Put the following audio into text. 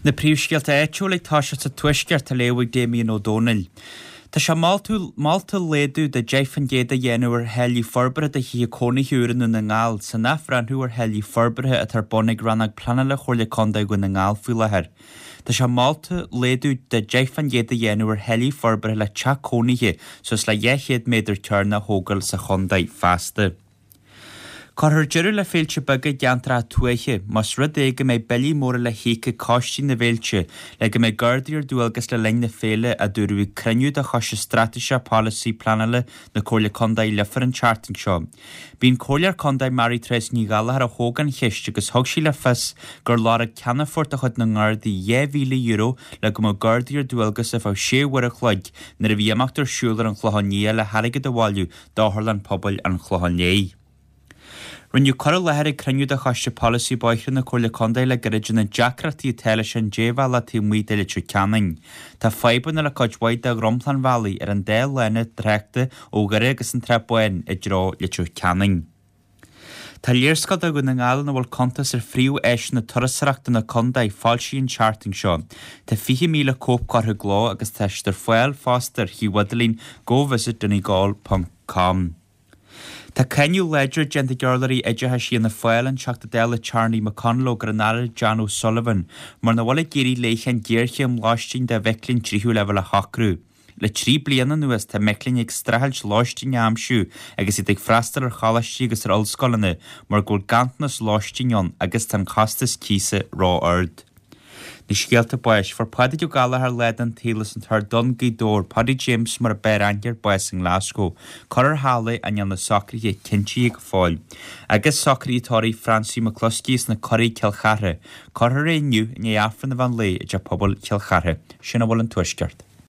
Na príomhscéalta áitiúla ag toiseacht sa Tuaisceart á léamh ag Damien Ó Dónaill. Tá sé molta laghdú de 10% a dhéanamh ar tháillí forbartha do thithe cónaithe úra i nDún na nGall san athbhreithniú ar tháillí forbartha atá ar bun ag Rannóg Pleanála Chomhairle Contae Dhún na nGall faoi láthair. Tá sé molta laghdú de 10% a dhéanamh ar tháillí forbartha le teach cónaithe suas le 200 méadar cearnach a thógáil sa chontae feasta. Cuirfear deireadh le féilte beaga i gceantracha tuaithe más rud é go mbeidh billí móra le híoc ag coistí na bhféilte le go mbeidh Gardaí ar dualgas le linn na féile, a dúradh ag cruinniú de Choiste Straitéiseach Polasaí Pleanála na Comhairle Contae i Leifear an tseachtain seo. B'í an Comhairleoir Contae Mary Therese Ní Ghallchóir a thóg an cheist agus thug sí le fios gur lorg Ceannfort de chuid na nGardaí €2,000 le go mbeadh Gardaí ar dualgas ar feadh sé uair a chloig nuair a bhí imeacht ar siúl ar an Chlochán Liath le hairgead a bhailiú d'Otharlann Pobail an Chlocháin Léith. Rinneadh cur i láthair ag cruinniú de Choiste Polasaí Bóithre na Comhairle Contae le gairid ar na deacrachtaí atá leis an débhealach taobh amuigh de Leitir Ceanainn. Tá fadhbanna le cuid mhaith de dhromchla an bhealaigh ar an dá lána tráchta ó Dhoire agus an tSrath Bán i dtreo Leitir Ceanainn. Tá léarscáil de Dhún na nGall ina bhfuil cuntas ar phríomh-áiseanna turasóireachta na contae foilsithe an tseachtain seo. Tá 20,000 cóip curtha i gcló agus tá siad ar fáil fosta ar shuíomh idirlín govisitdonegal ponc com. Tá cáineadh láidir déanta ag urlabhraí oideachais Fhianna Fáil, an Teachta Dála Charlie McConalogue ar an Aire Jan O'Sullivan mar nach bhfuil ag iarraidh léi an ghéarchéim lóistín do mhic léinn tríú leibhéal a shocrú. Le 3 bliana anuas tá mic léinn ag streachailt lóistín a aimsiú agus iad ag freastal ar choláistí agus ar ollscoileanna mar go bhfuil ganntanas lóistín ann agus tá an costas cíosa ró-ard. Na scéalta báis. Fuair Pádraig Ó Gallchóir lá den tsaol as an Tor Donn, Gaoth Dobhair, Paddy James mar a b'fhearr aithne air, bás i nGlasgow. Cuirfear thall é ach níl na socruithe cinntithe go fóill. Agus socruithe tórraimh Francie McCluskey as na Curaigh, Cill Chartha. Cuirfear é inniu i ndiaidh Aifreann an mheán lae i dTeach Pobail Chill Chartha. Sin a bhfuil ón Tuaisceart.